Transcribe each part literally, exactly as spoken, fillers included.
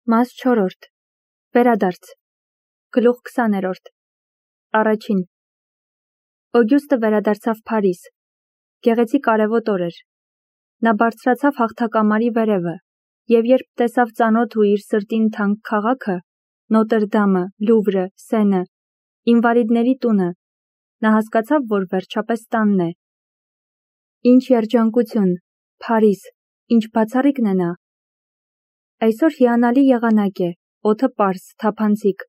Մաս չորրորդ Վերադարձ Գլուխ քսաներորդ Առաջին Օգյուստը վերադարձավ Փարիզ։ Գեղեցիկ արևոտ օր էր։ Նա բարձրացավ հաղթակամարի վերևը, և երբ տեսավ ծանոթ ու իր սրտին թանկ քաղաքը, Նոտր Դամը, Լուվրը, Սենը, ինվալիդների տունը, նա հասկացավ, որ վերջապես տանն է։ Ինչ երջանկություն, Փարիզ, ինչ բացառիկն է նա։ Այսօր հիանալի եղանակ է, օդը պարզ, թափանցիկ,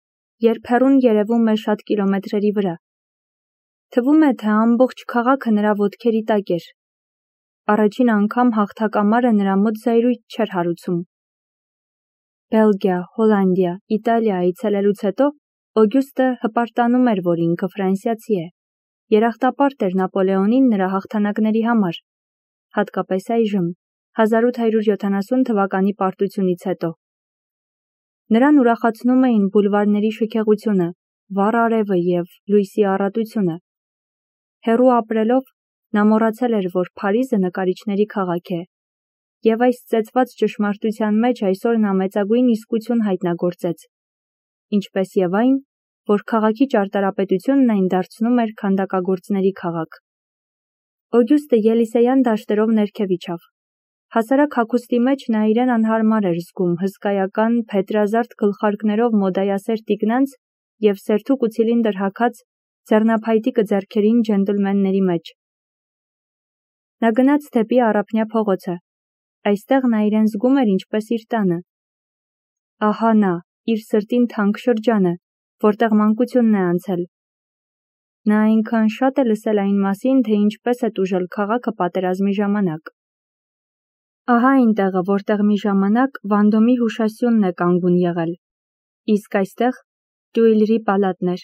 երբ հեռուն երևում է շատ կիլոմետրերի վրա։ Թվում է, թե ամբողջ քաղաքը նրա ոտքերի տակ էր։ Առաջին անգամ հաղթակամարը նրա մոտ զայրույթ չէր հարուցում։ Բելգիա, Հոլանդիա, Իտալիա այցելելուց հետո Օգյուստը հպարտանում էր, որ ինքը ֆրանսիացի է։ Երախտապարտ էր Նապոլեոնին նրա հաղթանակների համար, հատկապես այժմ, հազար ութ հարյուր յոթանասուն թվականի պարտությունից հետո։ Նրան ուրախացնում էին բուլվարների շքեղությունը, վառ արևը և լույսի առատությունը։ Հեռու ապրելով, նա մոռացել էր, որ Փարիզը նկարիչների քաղաք է, և այս ծեծված ճշմարտության մեջ այսօր նա մեծագույն իսկություն հայտնագործեց, ինչպես և այն, որ քաղաքի ճարտարապետությունն այն դարձնում էր քանդակագործների քաղաք։ Օգյուստը Ելիսեյան դաշտերով ներքև իջավ։ Հասարակ հագուստի մեջ նա իրեն անհարմար էր զգում հսկայական, փետրազարդ գլխարկներով մոդայասեր տիկնանց և սերթուկ ու ցիլինդր հագած ձեռնափայտիկը ձեռքերին ջենտլմենների մեջ։ Նա գնաց դեպի Առափնյա փողոցը։ Այստեղ նա իրեն զգում էր ինչպես իր տանը։ Ահա նա, իր սրտին թանկ շրջանը, որտեղ մանկությունն է անցել։ Նա այնքան շատ է լսել այն մասին, թե ինչպես է տուժել քաղաքը պատերազմի ժամանակ։ Ահա այն տեղը, որտեղ մի ժամանակ Վանդոմի հուշասյունն է կանգուն եղել, իսկ այստեղ Տյուիլրի պալատն էր։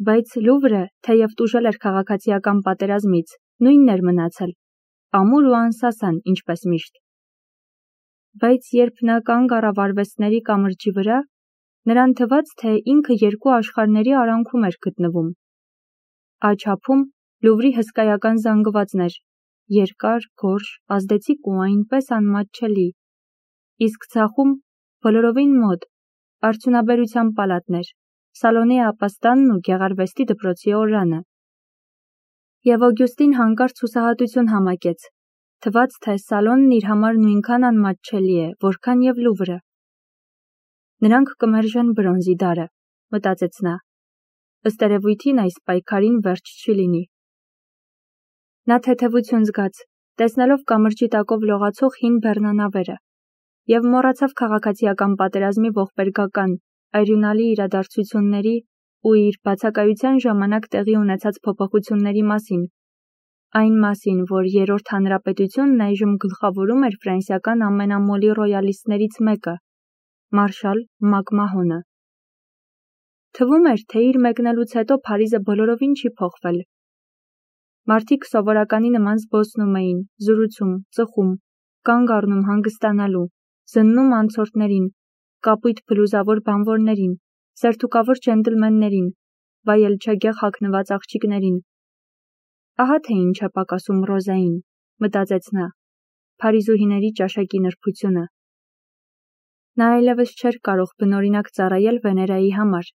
Բայց Լուվրը, թեև տուժել էր քաղաքացիական պատերազմից, նույնն էր մնացել, ամուր ու անսասան, ինչպես միշտ։ Բայց երբ նա կանգ առավ արվեստների կամրջի վրա, նրան թվաց, թե ինքը երկու աշխարհների արանքում էր գտնվում։ Աջ ափում Լուվրի հսկայական զանգվածն էր, երկար, գորշ, ազդեցիկ ու այնպես անմատչելի, իսկ ձախում, բոլորովին մոտ, արդյունաբերության պալատն էր, Սալոնի ապաստանն ու գեղարվեստի դպրոցի օրրանը։ Եվ Օգյուստին հանկարծ հուսահատություն համակեց, թվաց, թե Սալոնն իր համար նույնքան անմատչելի է, որքան և Լուվրը։ Նրանք կմերժեն բրոնզի դարը, մտածեց նա։ Ըստ երևույթին այս պայքարին վերջ չի լինի։ Նա թեթևություն զգաց, տեսնելով կամրջի տակով լողացող հին բեռնանավերը, և մոռացավ քաղաքացիական պատերազմի ողբերգական, այրյունալի իրադարձությունների ու իր բացակայության ժամանակ տեղի ունեցած փոփոխությունների մասին, այն մասին, որ Երրորդ հանրապետությունն այժմ գլխավորում էր ֆրանսիական ամենամոլի ռոյալիստներից մեկը՝ մարշալ Մակմահոնը։ Թվում էր, թե իր մեկնելուց հետո Փարիզը բոլորովին չի փոխվել։ Մարդիկ սովորականի նման զբոսնում էին, զրուցում, ծխում, կանգ առնում հանգստանալու, զննում անցորդներին, կապույտ բլուզավոր բանվորներին, սերթուկավոր ջենտլմեններին, վայելչագեղ հագնված աղջիկներին։ Ահա թե ինչ է պակասում Ռոզային, մտածեց նա, փարիզուհիների ճաշակի նրբությունը։ Նա այլևս չէր կարող բնօրինակ ծառայել Վեներայի համար,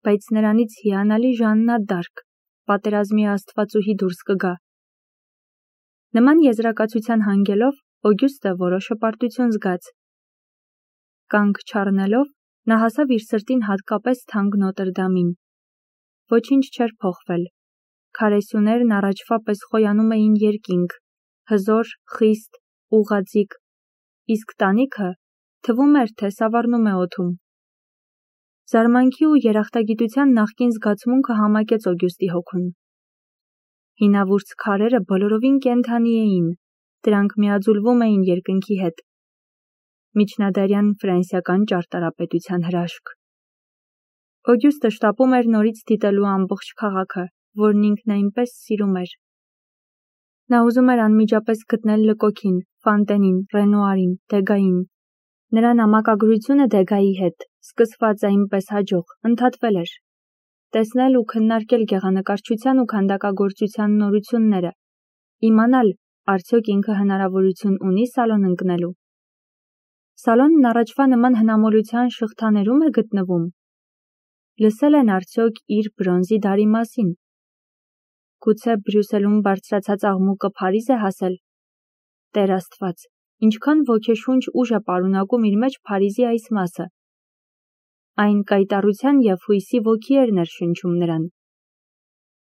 բայց նրանից հիանալի Ժաննա դ'Արկ, պատերազմի աստվածուհի դուրս կգա։ Նման եզրակացության հանգելով, Օգյուստը որոշ հպարտություն զգաց։ Կանգ չառնելով, նա հասավ իր սրտին հատկապես թանկ Նոտր Դամին։ Ոչինչ չէր փոխվել։ Քարե սյուներն առաջվա պես խոյանում էին երկինք, հզոր, խիստ, ուղղաձիգ, իսկ տանիքը թվում էր, թե սավառնում է օդում։ Զարմանքի ու երախտագիտության նախկին զգացմունքը համակեց Օգյուստի հոգուն։ Հինավուրց քարերը բոլորովին կենդանի էին, դրանք միաձուլվում էին երկնքի հետ։ Միջնադարյան ֆրանսիական ճարտարապետության հրաշք։ Օգյուստը շտապում էր նորից դիտելու ամբողջ քաղաքը, որն ինքն այնպես սիրում էր։ Նա ուզում էր անմիջապես գտնել Լկոքին, Ֆանտենին, Ռենուարին, Դեգային։ Նրա նամակագրությունը Դեգայի հետ, սկսված այնպես հաջող, ընդհատվել էր։ Տեսնել ու քննարկել գեղանկարչության ու քանդակագործության նորությունները, իմանալ, արդյոք ինքը հնարավորություն ունի Սալոն ընկնելու։ Սալոնն առաջվա նման հնամոլության շղթաներում է գտնվում։ Լսել են արդյոք իր բրոնզի դարի մասին։ Գուցե Բրյուսելում բարձրացած աղմուկը Փարիզ է հասել։ Տեր Աստված, ինչքան ոգեշունչ ուժ է պարունակում իր մեջ Փարիզի այս մասը։ Այն կայտառության և հույսի ոգի էր ներշնչում նրան։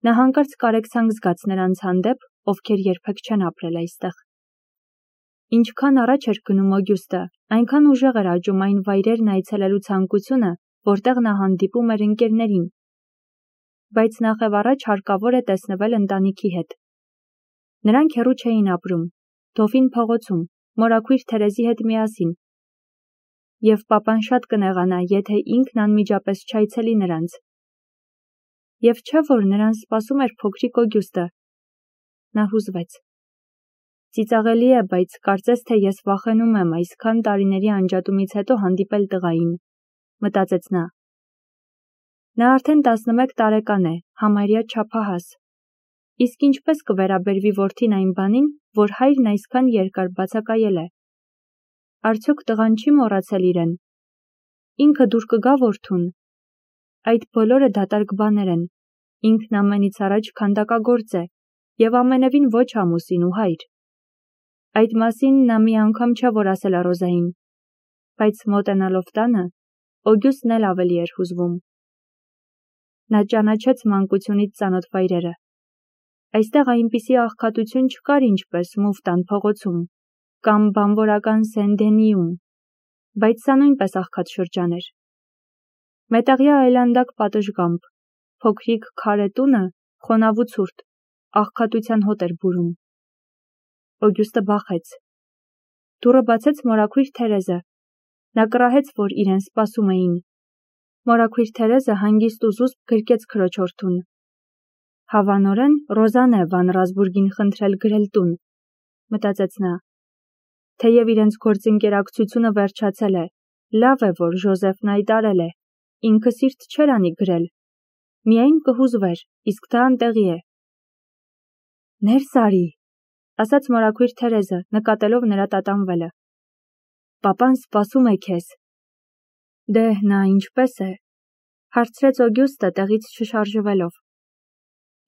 Նա հանկարծ կարեկցանք զգաց նրանց հանդեպ, ովքեր երբեք չեն ապրել այստեղ։ Ինչքան առաջ էր գնում Օգյուստը, այնքան ուժեղ էր աճում այն վայրերն այցելելու ցանկությունը, որտեղ նա հանդիպում էր ընկերներին։ Բայց նախևառաջ հարկավոր է տեսնվել ընտանիքի հետ։ Նրանք հեռու չէին ապրում, Դոֆին փողոցում, մորաքույր Թերեզի հետ միասին։ Եվ պապան շատ կնեղանա, եթե ինքն անմիջապես չայցելի նրանց։ Եվ չէ՞ որ նրան սպասում էր փոքրիկ Օգյուստը։ Նա հուզվեց։ Ծիծաղելի է, բայց կարծես թե ես վախենում եմ այսքան տարիների անջատումից հետո հանդիպել տղային, մտածեց նա։ Նա արդեն տասնմեկ տարեկան է, համարյա չափահաս։ Իսկ ինչպես կվերաբերվի որդին այն բանին, որ հայրն այսքան երկար բացակայել է։ Արդյոք տղան չի մոռացել իրեն։ Ինքը դուր կգա որդուն։ Այդ բոլորը դատարկ բաներ են։ Ինքն ամենից առաջ քանդակագործ է և ամենևին ոչ ամուսին ու հայր։ Այդ մասին նա մի անգամ չէ որ ասել է Ռոզային, բայց մոտենալով տանը, Օգյուստն էլ ավելի էր հուզվում։ Նա ճանաչեց մանկությունից ծանոթ վայրերը։ Այստեղ այնպիսի աղքատություն չկար ինչպես Մուֆտան փողոցում կամ բանվորական Սեն-Դենիում, բայց սա նույնպես աղքատ շրջան էր։ Մետաղյա այլանդակ պատշգամբ, փոքրիկ քարե տունը, խոնավ ու ցուրտ, աղքատության հոտ էր բուրում։ Օգյուստը բախեց։ Դուռը բացեց մորաքույր Թերեզը։ Նա կռահեց, որ իրեն սպասում էին։ Մորաքույր Թերեզը հանգիստ ու զուսպ գրկեց քրոջորդուն։ Հավանորեն Ռոզան է Վան Ռազբուրգին խնդրել գրել տուն, մտածեց նա։ Թեև իրենց գործընկերակցությունը վերջացել է, լավ է, որ Ժոզեֆն այտարել է, ինքը սիրտ չէր անի գրել։ Միայն կհուզվեր, իսկ դա անտեղի է։ Ներս արի, ասաց մորաքույր Թերեզը, նկատելով նրա տատանվելը։ Պապան սպասում է քեզ։ Դե, նա ինչպես է, հարցրեց Օգյուստը տեղից չշարժվելով։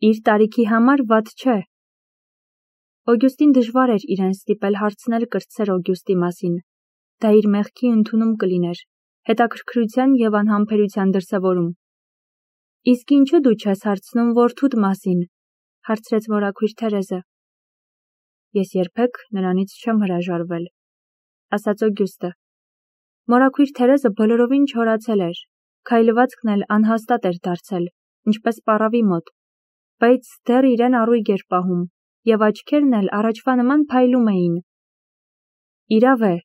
Իր տարիքի համար վատ չէ։ Օգյուստին դժվար էր իրեն ստիպել հարցնել կրտսեր Օգյուստի մասին։ Դա իր մեղքի ընդունում կլիներ, հետաքրքրության և անհամբերության դրսևորում։ Իսկ ինչու դու չես հարցնում որդուդ մասին, հարցրեց մորաքույր Թերեզը։ Ես երբեք նրանից չեմ հրաժարվել, ասաց Օգյուստը։ Մորաքույր Թերեզը բոլորովին չորացել էր, քայլվածքն էլ անհաստատ էր դարձել, ինչպես պառավի մոտ, բայց դեռ իրեն առույգ էր պահում, և աչքերն էլ առաջվա նման փայլում էին։ Իրավ է,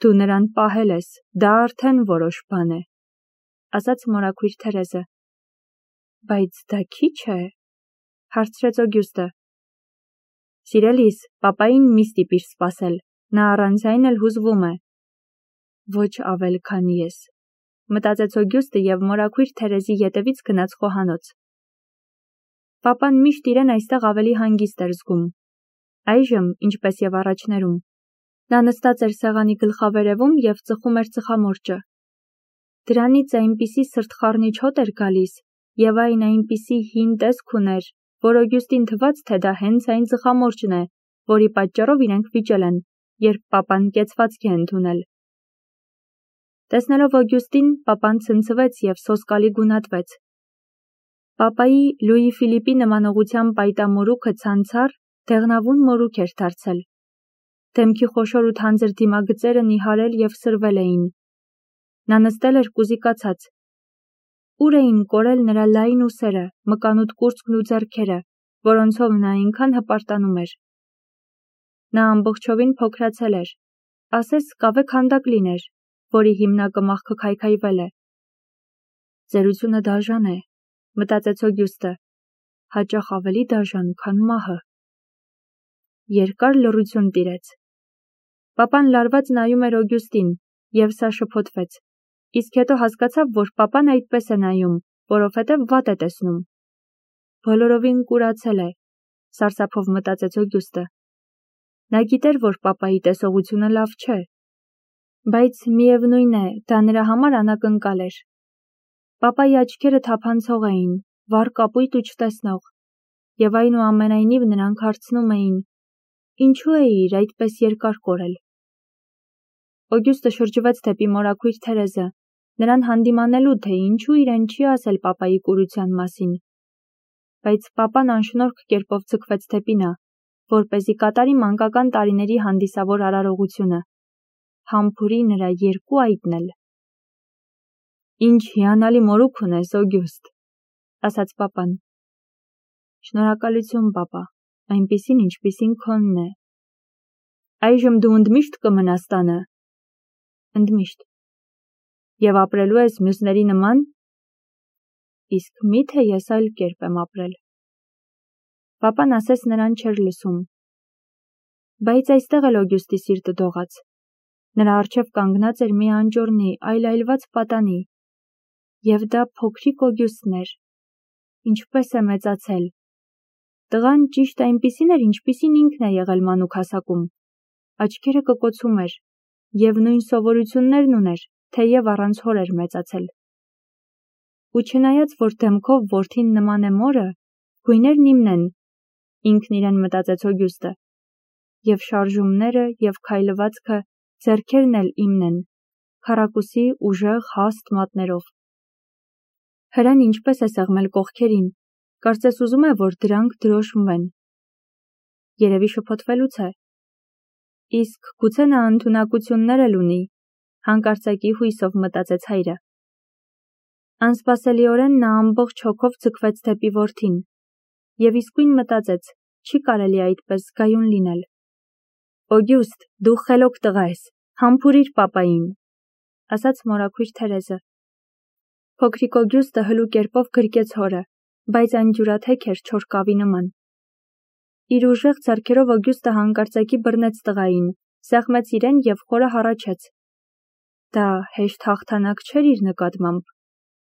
դու նրան պահել ես, դա արդեն որոշ բան է, ասաց մորաքույր Թերեզը։ Բայց դա քիչ է, հարցրեց Օգյուստը։ Սիրելիս, պապային մի ստիպիր սպասել, նա առանց այն էլ հուզվում է։ Ոչ ավել, քան ես, մտածեց Օգյուստը և մորաքույր Թերեզի ետևից գնաց խոհանոց։ Պապան միշտ իրեն այստեղ ավելի հանգիստ էր զգում։ Այժմ, ինչպես և առաջներում, նա նստած էր սեղանի գլխավերևում և ծխում էր ծխամորճը։ Դրանից այնպիսի սրտխառնիչ հոտ էր գալիս, և այն այնպիսի հին տեսք ուներ, որ Օգյուստին թվաց, թե դա հենց այն ծխամորճն է, որի պատճառով իրենք վիճել են, երբ պապան կեցվածք է ընդունել։ Տեսնելով Օգյուստին, պապան ցնցվեց և սոսկալի գունատվեց։ Պապայի Լուի Ֆիլիպի նմանողության պայտամորուքը ցանցառ, դեղնավուն մորուք էր դարձել։ Դեմքի խոշոր ու թանձր դիմագծերը նիհարել և սրվել էին։ Նա նստել էր կուզիկացած։ Ուր էին կորել նրա լայն ուսերը, մկանուտ կուրծքն ու ձեռքերը, որոնցով նա այնքան հպարտանում էր։ Նա ամբողջովին փոքրացել էր, ասես կավե քանդակ լիներ, որի հիմնակը մաղքը քայքայվել է։ Ծերությունը դաժան է, մտածեց Օգյուստը, հաճախ ավելի դաժան, քան մահը։ Երկար լռություն տիրեց։ Պապան լարված նայում էր Օգյուստին, և սա շփոթվեց, իսկ հետո հասկացավ, որ պապան այդպես է նայում, որովհետև վատ է տեսնում։ Բոլորովին կուրացել է, սարսափով մտածեց Օգյուստը։ Նա գիտեր, որ պապայի տեսողությունը լավ չէ։ Բայց միևնույն է, դա նրա համար անակնկալ էր։ Պապայի աչքերը թափանցող էին, վառ կապույտ ու չտեսնող, և այնուամենայնիվ նրանք հարցնում էին. ինչու էիր այդպես երկար կորել։ Օգյուստը շրջվեց դեպի մորաքույր Թերեզը, նրան հանդիմանելու, թե ինչու իրեն չի ասել պապայի կուրության մասին։ Բայց պապան անշնորհք կերպով ձգվեց դեպի նա, որպեսզի կատարի մանկական տարիների հանդիսավոր արարողությունը, համբուրի նրա երկու այտն էլ։ Ինչ հիանալի մորուք ունես, Օգյուստ, ասաց պապան։ Շնորհակալություն, պապա, այնպիսին, ինչպիսին քոնն է։ Այժմ դու ընդմիշտ կմնաս տանը։ Ընդմիշտ։ Եվ ապրելու ես մյուսների նման։ Իսկ մի՞թե ես այլ կերպ եմ ապրել։ Պապան ասես նրան չէր լսում։ Բայց այստեղ էլ Օգյուստի սիրտը դողաց։ Նրա առջև կանգնած էր մի անճոռնի, այլայլված պատանի, և դա փոքրիկ Օգյուստն էր։ Ինչպես է մեծացել։ Տղան ճիշտ այնպիսին էր, ինչպիսին ինքն է եղել մանուկ հասակում։ Աչքերը կկոցում էր, և նույն սովորություններն ուներ, թեև առանց հոր էր մեծացել։ Ու չնայած, որ դեմքով որդին նման է մորը, գույներն իմն են, ինքն իրեն մտածեց Օգյուստը, և շարժումները, և քայլվածքը, ձեռքերն էլ իմն են, քառակուսի ուժեղ հաստ մատներով։ Հրեն ինչպես է սեղմել կողքերին, կարծես ուզում է, որ դրանք դրոշմվեն։ Երևի շփոթվելուց է։ Իսկ գուցե նա ընդունակություններ էլ ունի, հանկարծակի հույսով մտածեց հայրը։ Անսպասելիորեն նա ամբողջ հոգով ձգվեց դեպի որդին, և իսկույն մտածեց, չի կարելի այդպես զգայուն լինել։ Օգյուստ, դու խելոք տղա ես, համբուրիր պապային, ասաց մորաքույր Թերեզը։ Փոքրիկ Օգյուստը հլու կերպով գրկեց հորը, բայց այն ջուրաթեք էր չոր կավի նման։ Իր ուժեղ ձեռքերով Օգյուստը հանկարծակի բռնեց տղային, սեղմեց իրեն և խորը հառաչեց։ Դա հեշտ հաղթանակ չէր իր նկատմամբ,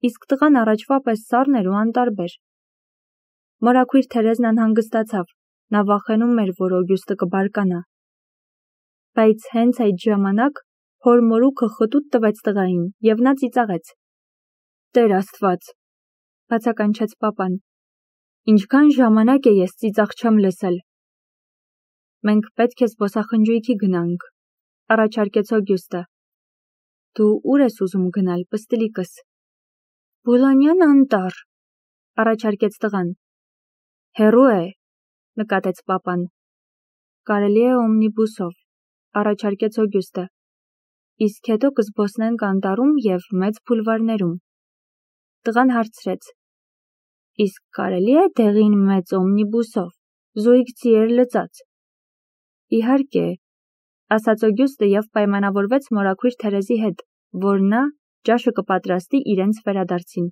իսկ տղան առաջվա պես սառն էր ու անտարբեր։ Մորաքույր Թերեզն անհանգստացավ, նա վախենում էր, որ Օգյուստը կբարկանա։ Բայց հենց այդ ժամանակ հոր մորուքը խտուտ տվեց տղային, և նա ծիծաղեց։ Տեր Աստված, բացականչեց պապան, ինչքան ժամանակ է ես ծիծաղ չեմ լսել։ Մենք պետք է զբոսախնջույքի գնանք, առաջարկեց Օգյուստը։ Դու ուր ես ուզում գնալ, պստլիկս։ Բուլանյան անտառ, առաջարկեց տղան։ Հեռու է, նկատեց պապան։ Կարելի է օմնիբուսով, առաջարկեց Օգյուստը։ Իսկ հետո կզբոսնենք անտառում և մեծ բուլվարներում։ Տղան հարցրեց. Իսկ կարելի է դեղին մեծ օմնիբուսով, զույգ ձիեր լծած։ Իհարկե, ասաց Օգյուստը և պայմանավորվեց մորաքույր Թերեզի հետ, որ նա ճաշը կպատրաստի իրենց վերադարձին։